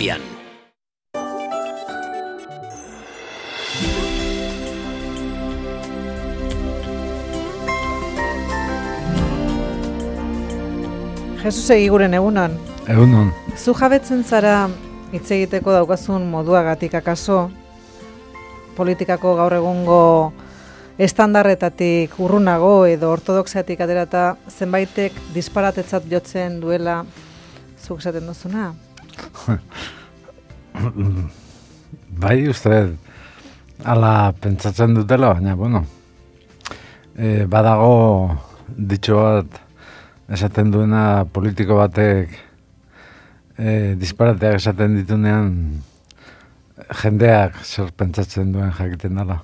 Pian. Jesus egiguren egunon. Egunon. Zu jabetzen zara hitz egiteko daukazun moduagatik akaso politikako gaur egungo estandarretatik urrunago edo ortodoxiatik aterata zenbaitek disparatetzat jotzen duela zuk esaten duzuna? Bai, uste ala pentsatzen dutela, baina, bueno, badago ditxo bat esaten duena politiko batek disparateak esaten ditunean jendeak zer pentsatzen duen jakiten dela.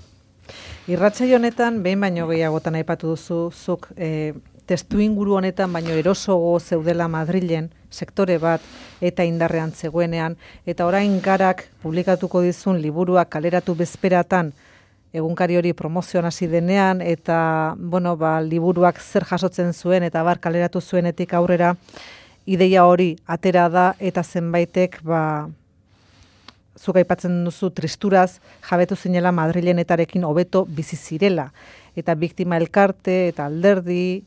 Irratsaio honetan behin baino gehiagotan aipatu duzu zuk testu inguru honetan baino erosogo zeudela Madrilen sektore bat eta indarrean zegoenean eta orain Garak publikatuko dizun liburua kaleratu bezperatan egunkari hori promozioan hasi denean eta liburuak zer jasotzen zuen eta bar kaleratu zuenetik aurrera ideia hori atera da eta zenbaitek zuk aipatzen duzu tristuraz jabetu zinela Madrilenetarekin hobeto bizi zirela eta biktima elkarte eta alderdi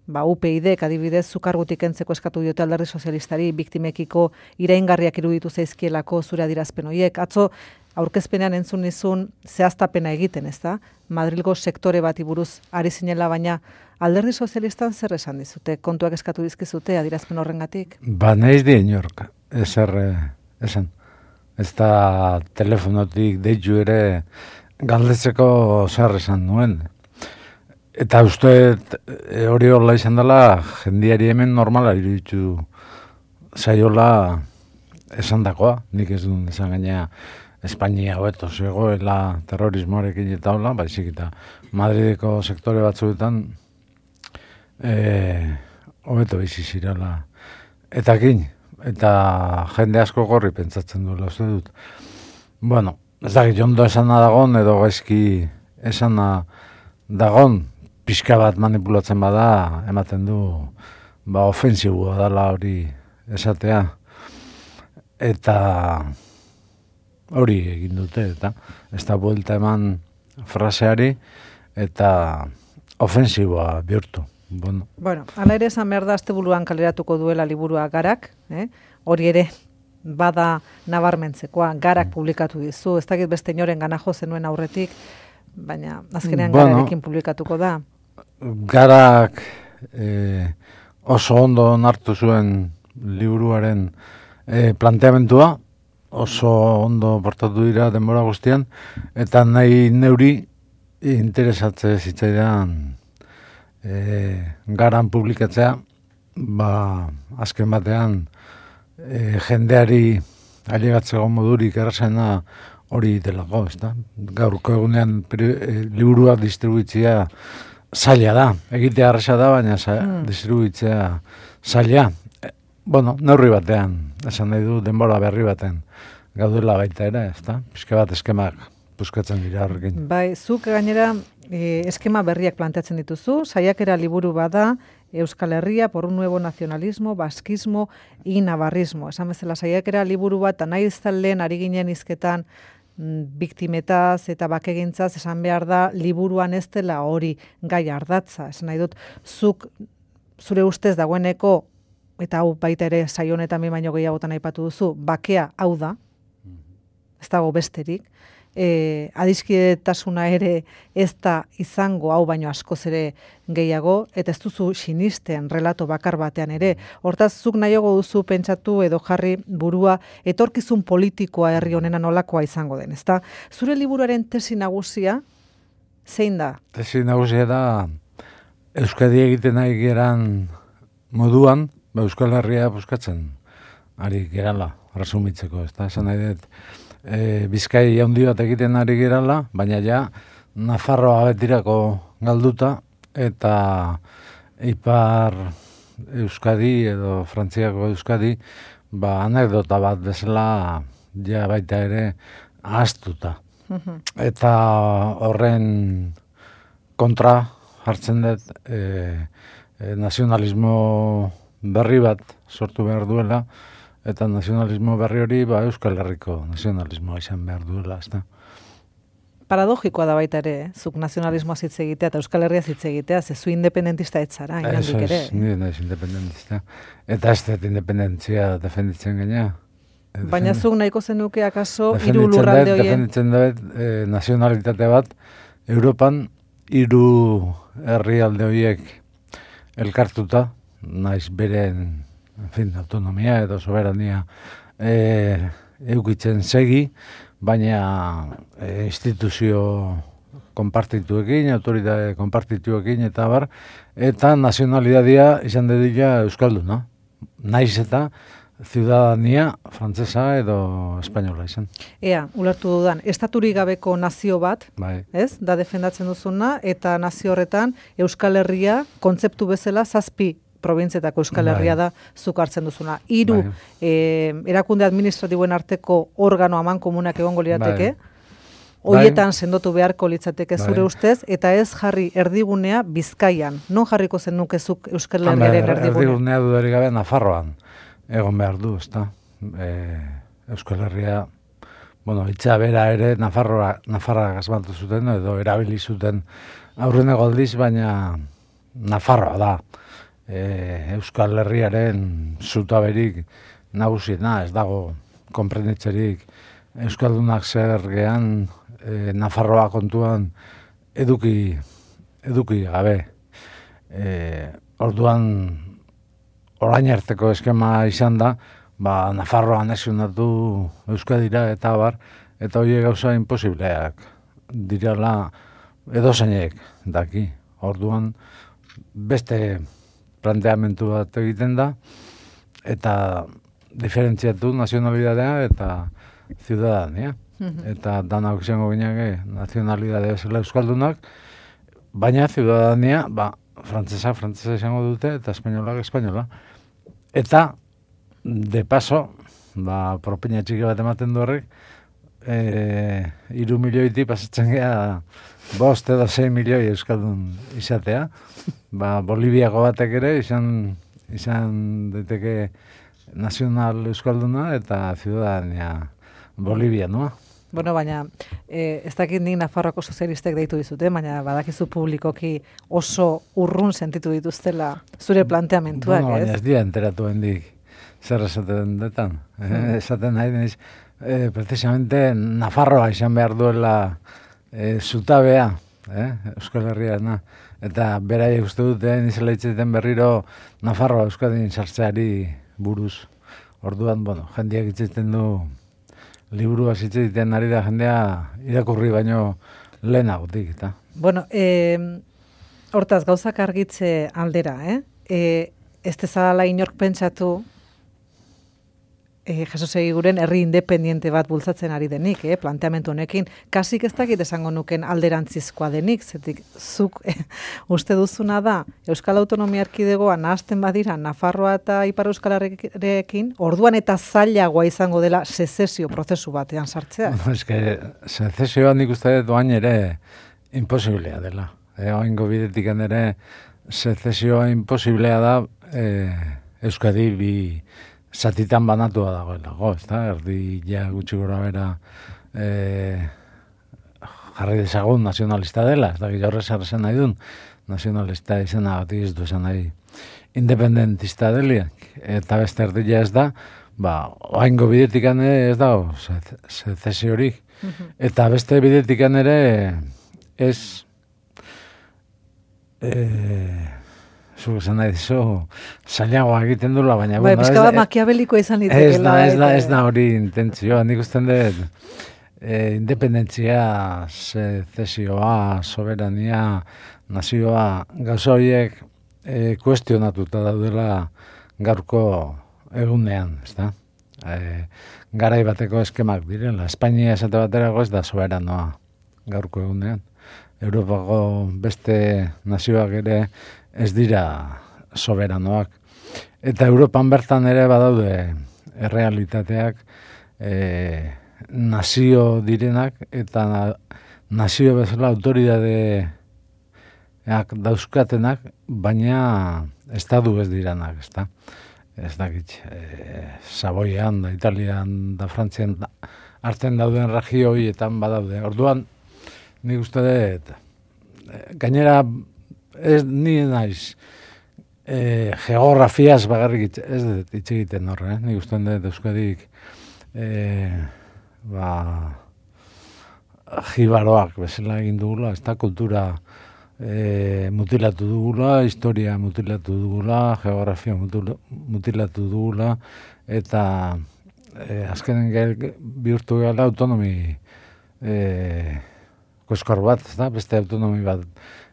UPyDek adibidez zukargutik kentzeko eskatu diote alderdi sozialistari biktimekiko iraingarriak iruditu zaizkielako zure adierazpen horiek. Atzo aurkezpenean entzun nizun zehaztapena egiten, ezta? Madrilgo sektore bati buruz ari zinela, baina alderdi sozialistan zer esan dizute? Kontuak eskatu dizkizute adierazpen horrengatik? Naiz di inork, ezer esan. Ez da telefonotik deitu ere galdetzeko zer esan nuen. Eta uste hori hola izan dela, jendiari hemen normala iruditu zaiola esan dakoa. Nik ez duen esan gainea Espainia hobeto zegoela terrorismoarekin eta hola, baizik eta Madrideko sektore batzuetan hobeto bizi zirela. Eta jende asko gorri pentsatzen duela uste dut. Bueno, ez dakit ondo esana dagon edo gaizki esana dagon, pixka bat manipulatzen bada, ematen du, ofensiboa dela hori esatea. Eta hori egin dute, eta ez da buelta eman fraseari, eta ofensiboa bihurtu. Bueno, ala ere esan behar da astebuluan kaleratuko duela liburua Garak, hori ere bada nabarmentzekoa, Garak publikatu dizu, ez dakit beste inoren gana jo zenuen aurretik, baina azkenean Gararekin publikatuko da. Garak oso ondo onartu zuen liburuaren planteamentua, oso ondo portatu dira denbora guztian, eta nahi neuri interesatze zitzaidan Garan publikatzea, azken batean jendeari ailegatzeko modurik errazena hori delako, ezta? Gaurko egunean liburua distribuitzea zaila da. Egitea erraza da, baina distribuitzea zaila. Neurri batean, esan nahi du denbora berri baten gaudela baita ere, ezta? Pizke bat eskemak buskatzen dira horrekin. Bai, zuk gainera eskema berriak planteatzen dituzu, saiakera liburu bada, Euskal Herria por un nuevo nacionalismo, baskismo y navarrismo. Esan bezala saiakera liburu bat, nahi iztalen ari ginen hizketan biktimetaz eta bakegintzaz esan behar da liburuan ez dela hori gai ardatza. Esan nahi dut, zuk zure ustez dagoeneko, eta hau baita ere saio honetan baino gehiagotan aipatu duzu, bakea hau da, ez dago besterik, adiskidetasuna ere ez da izango hau baino askoz ere gehiago, eta ez duzu sinisten relato bakar batean ere. Hortaz, zuk nahiago duzu pentsatu edo jarri burua etorkizun politikoa herri honena nolakoa izango den, ezta? Zure liburuaren tesi nagusia zein da? Tesi nagusia da Euskadi egiten ari geran moduan, Euskal Herria buskatzen ari gerala, resumitzeko, ezta? Esan nahi dut, Bizkai handi bat egiten ari gerala, baina ja Nafarroa betirako galduta eta Ipar Euskadi edo Frantziako Euskadi anekdota bat bezala ja baita ere ahaztuta. Eta horren kontra jartzen dut nazionalismo berri bat sortu behar duela eta nazionalismo berri hori Euskal Herriko nazionalismoa izan behar duela, ezta. Paradogikoa da baita ere, zuk nazionalismoa hitz egitea eta Euskal Herria hitz egitea, ze zu independentista etzara, inandik ere. Ni naiz independentista. Eta ez dut independentzia defenditzen gaina. Baina zuk nahiko zenuke akaso hiru lurralde horien. Defenditzen dut nazionalitate bat, Europan hiru herrialde horiek elkartuta, naiz beren autonomia edo soberania eukitzen segi, baina instituzio konpartituekin, autoritate konpartituekin eta bar, eta nazionalitatea izan dedila euskalduna. Naiz eta ciudadania frantsesa edo espainola izan. Ea, ulertu dudan, estaturik gabeko nazio bat, bai. Ez? Da defendatzen duzuna, eta nazio horretan Euskal Herria kontzeptu bezala 7 probintzietako Euskal Herria da zuk hartzen duzuna. 3 erakunde administratiboen arteko organo amankomunak egongo lirateke, hoietan sendotu beharko litzateke zure ustez, eta ez jarri erdigunea Bizkaian. Non jarriko zenuke zuk Euskal Herriaren erdigunea? Erdigunea dudarik gabe Nafarroan egon behar du, ezta? Euskal Herria, hitza bera ere Nafarra gazbatu zuten, edo erabili zuten aurreneko aldiz, baina Nafarroa da. Euskal Herriaren zutaberik nagusiena, ez dago konprenditzerik Euskaldunak zer gehan Nafarroa kontuan eduki gabe. Orduan orain arteko eskema izan da, Nafarroa anexionatu Euskadira eta bar, eta horiek gauza imposibleak direla edozainek daki. Orduan beste planteamentu bat egiten da, eta diferentziatu nazionalitatea eta ciudadania. Eta danak izango gineke nazionalitatea bezala euskaldunak, baina ciudadania, frantzesa izango dute, eta espainola. Eta, de paso, propina txiki bat ematen du horrek, 3 milioiti pasatzen geha 5 edo 6 milioi euskaldun izatea. Boliviako batek ere izan daiteke nazional euskalduna eta ciudadania bolivianoa. Baina ez dakit nik Nafarroako sozialistek deitu dizute, baina badakizu publikoki oso urrun sentitu dituztela zure planteamentuak, ez? Baina ez dira enteratu hendik zer esaten detan. Esaten nahi deniz, precisamente Nafarroa izan behar duela zutabea, Euskal Herriana. Eta beraiek uste dute nizela hitzetan berriro Nafarroa Euskadin sartzeari buruz. Orduan, jendeak hitzetan du liburua hitzetan ari da jendea irakurri baino lehenagotik, eta. Hortaz, gauzak argitze aldera, ez dezala inork pentsatu Jesus Egiguren herri independiente bat bultzatzen ari denik, planteamentu honekin, kasik ez dakit esango nuken alderantzizkoa denik, zetik zuk uste duzuna da, Euskal Autonomia Erkidegoa nahasten badira Nafarroa eta Ipar Euskal Herriarekin, orduan eta zailagoa izango dela sezesio prozesu batean sartzea. Sezesioa nik uste dut oain ere imposiblea dela. Oaingo bidetik ere sezesioa imposiblea da Euskadi bi zatitan banatua dagoelako, ezta? Erdi gutxi gora bera jarri dezagun nazionalista dela, ez da horrez arrezen nahi duen, nazionalista izena batik ez du esan nahi independentista deliak, eta beste erdia ez da, oaingo bidetikan ez dago sezesiorik, eta beste bidetikan ere ez zuk esan nahi dizu, zailagoa egiten dula, baina... Pizka bat makiabeliko izan litekela. Ez da hori intentzioa, nik usten dut independentzia, sezesioa, soberania, nazioa, gauza horiek kuestionatuta daudela gaurko egunean, ez da? Garai bateko eskemak direla, Espainia esate baterako ez da soberanoa gaurko egunean. Europako beste nazioak ere ez dira soberanoak. Eta Europan bertan ere badaude errealitateak nazio direnak eta nazio bezala autoridadeak dauzkatenak, baina estadu ez diranak, ezta? ez dakit, Savoian, da Italian, da Frantzian, arten dauden regio horietan badaude. Orduan, nik uste dut, gainera, ez ni naiz, geografiaz bagarrik ez dut hitz egiten horre, nik uste dut Euskadik, jibaroak bezala egin dugula, ez da kultura mutilatu dugula, historia mutilatu dugula, geografia mutilatu dugula, eta azkenen bihurtu gala autonomi koskor bat, beste autonomi bat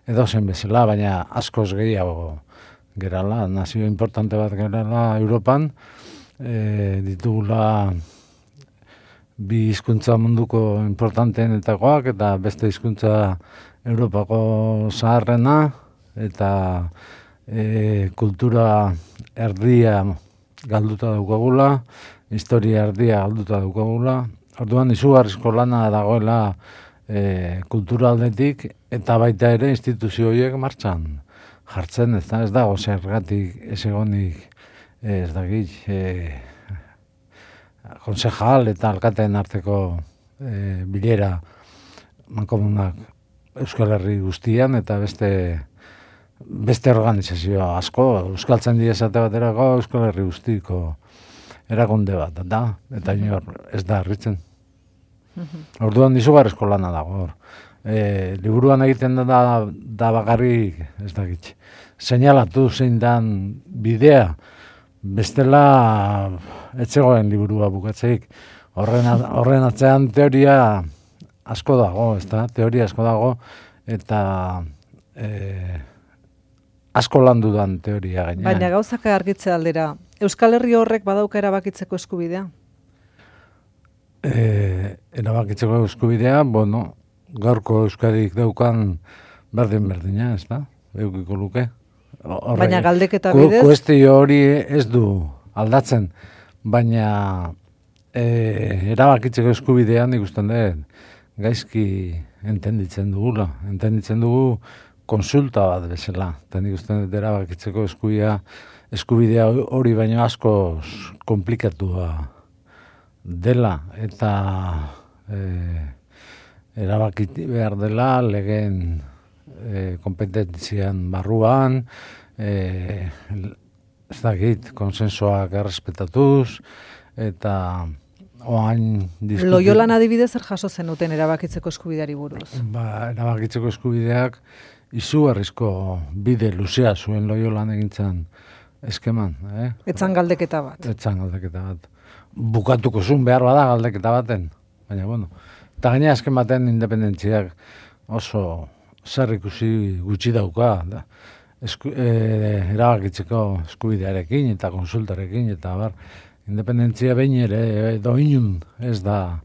edo zen bezala, baina askoz gehiago gerala, nazio importante bat gerala Europan, ditugula bi hizkuntza munduko importanteenetakoak eta beste hizkuntza Europako zaharrena eta kultura erdia galduta daukagula, historia erdia galduta daukagula. Orduan izugarrizko lana dagoela kultura aldetik eta baita ere instituzio horiek martxan jartzen, ez dago zergatik ez egonik ez dakit konsejal eta alkateen arteko bilera mankomunak Euskal Herri guztian eta beste organizazio asko, Euskaltzaindia esate baterako Euskal Herri guztiko erakunde bat, eta inor ez da harritzen. Orduan izugarrizko lana dago. Liburuan egiten da bakarrik, ez dakit, seinalatu zein dan bidea, bestela etzegoen liburua bukatzeik. Horren atzean teoria asko dago, teoria asko dago, eta asko landu dan teoria gainean. Baina gauzak argitze aldera, Euskal Herri horrek badauka erabakitzeko eskubidea? Erabakitzeko eskubidea, gaurko Euskadik daukan berdina, ez da? Eukiko luke. Baina galdeketa bidez? Kuestio hori ez du aldatzen, baina erabakitzeko eskubidean ikusten dut, gaizki entenditzen dugu konsulta bat bezala, eta nik uste dut erabakitzeko eskubidea hori baino asko komplikatua dela, eta erabakiti behar dela legen kompetentzian barruan, ez dakit, konsensoak errespetatuz, eta oain Loiolan adibidez zer jaso zenuten erabakitzeko eskubideari buruz? Erabakitzeko eskubideak izugarrizko bide luzea zuen Loiolan egintzan eskeman. Etzan galdeketa bat. Etzan galdeketa bat. Bukatuko zuen behar bada galdeketa baten. Baina, eta gaina esken baten independentziak oso zer ikusi gutxi dauka. Erabakitzeko eskubidearekin eta konsultarekin eta bar. Independentzia behin ere, edo inun, ez da,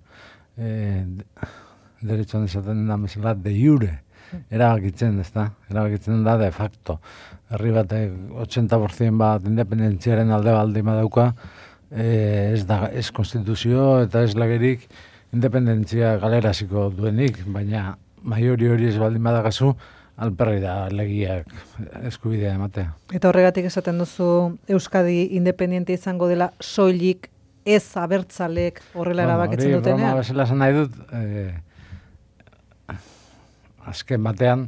derechoan esaten da mesela, de jure, erabakitzen, ez da, erabakitzen da de facto. Herri batek 80% bat independentziaren alde baldima dauka, ez konstituzio eta ez lagerik independentzia galeraziko duenik, baina maiori hori ez baldin badagazu, alperri da legiak eskubidea ematea. Eta horregatik esaten duzu Euskadi independiente izango dela soilik ez abertzalek horrela erabakitzen dutenean? Hori, bezala esan nahi dut, azken batean,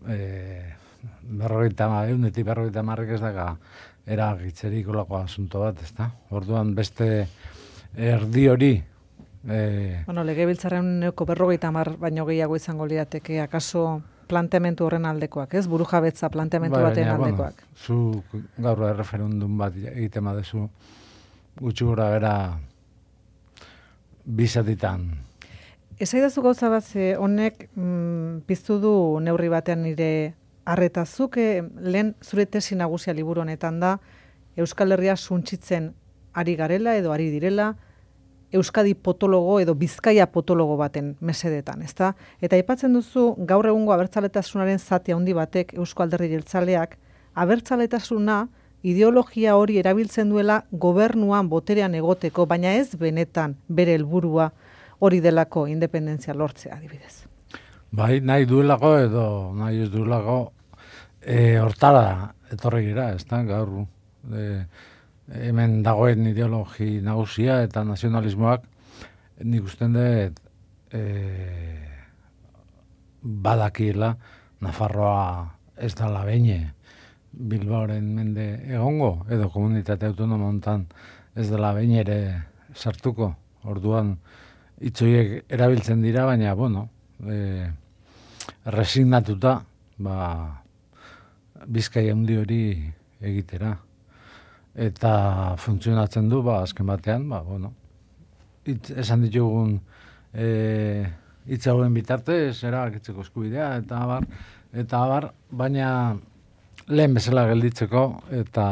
eunetik 50 ez daga erabakitzerik olako asunto bat, ezta? Orduan beste erdi hori, legebiltzarren 50 baino gehiago izango lirateke, akaso planteamentu horren aldekoak, ez? Burujabetza planteamentu baten aldekoak. Zu gaur erreferendum bat egiten badezu gutxi gora bera bizatitan. Esaidazu gauza bat, honek piztu du neurri batean nire arretazuk, lehen zure tesi nagusia liburu honetan da, Euskal Herria suntsitzen ari garela edo ari direla, Euskadi potologo edo Bizkaia potologo baten mesedetan, ezta? Eta aipatzen duzu gaur egungo abertzaletasunaren zati handi batek Eusko Alderdi Jeltzaleak abertzaletasuna ideologia hori erabiltzen duela gobernuan boterean egoteko, baina ez benetan bere helburua hori delako independentzia lortzea adibidez. Bai, nahi duelako edo nahi ez duelako hortara etorri gira, ezta? Gaur hemen dagoen ideologi nagusia eta nazionalismoak nik usten dut badakiela Nafarroa ez dala beine Bilbaoren mende egongo, edo komunitate autonomo hontan ez dela behin ere sartuko. Orduan hitzoiek erabiltzen dira, baina, bueno, resignatuta, Bizkaia handi hori egitera. Eta funtzionatzen du, azken batean, esan ditugun hitz hauen bitartez, erabakitzeko eskubidea, eta abar, baina lehen bezala gelditzeko, eta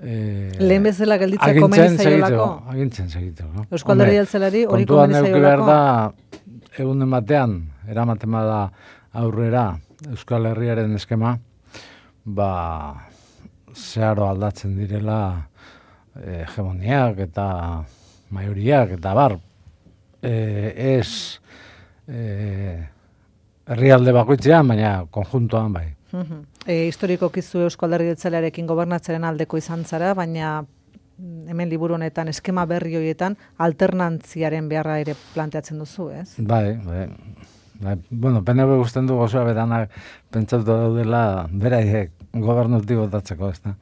lehen bezala gelditzeko komeni zaiolako? Agintzen segiteko. Eusko Alderdi Jeltzaleari hori komeni zaiolako? Kontuan neuki behar da, egunen batean, eramaten bada aurrera, Euskal Herriaren eskema, zeharo aldatzen direla hegemoniak eta maioriak, eta ez herrialde bakoitzean, baina konjuntoan bai. Historikoki zu Eusko Alderdi Jeltzalearekin gobernatzaren aldeko izan zara, baina hemen liburu honetan eskema berri horietan alternantziaren beharra ere planteatzen duzu, ez? Bai. Bueno, PNV gusten du gozoa beranak pentsatu daudela beraiek gobernutik botatzeko, ez da?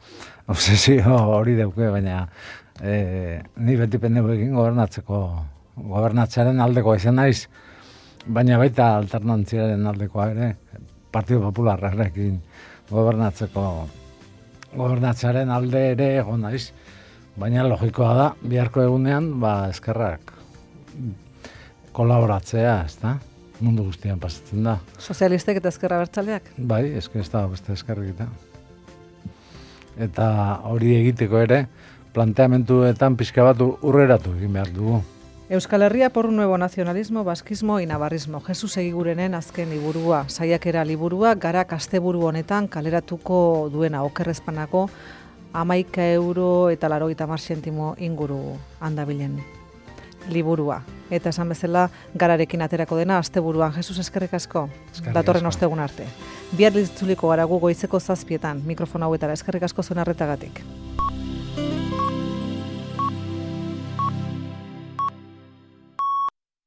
Obsesio hori dauke, baina ni beti PNV-ekin gobernatzearen aldeko izan naiz, baina baita alternantziaren aldekoa ere, Partido Popularrarekin gobernatzearen alde ere egon naiz, baina logikoa da, biharko egunean, eskerrak kolaboratzea, ez da? Mundu guztian pasatzen da. Sozialistek eta ezkerra abertzaleak? Bai, ez da beste ezkerrik eta hori egiteko ere, planteamentuetan pixka bat urreratu egin behar dugu. Euskal Herria por un nuevo nacionalismo, baskismo y navarrismo. Jesus Egigurenen azken liburua, saiakera liburua, Garak asteburu honetan kaleratuko duena okerrezpanako €11 eta 90 zentimo inguru handabilen liburua. Eta esan bezala Gararekin aterako dena asteburuan. Jesus, eskerrik asko. Datorren ostegun arte. Bihar itzuliko gara gu goizeko 7:00, mikrofono hauetara. Eskerrik asko zuen arretagatik.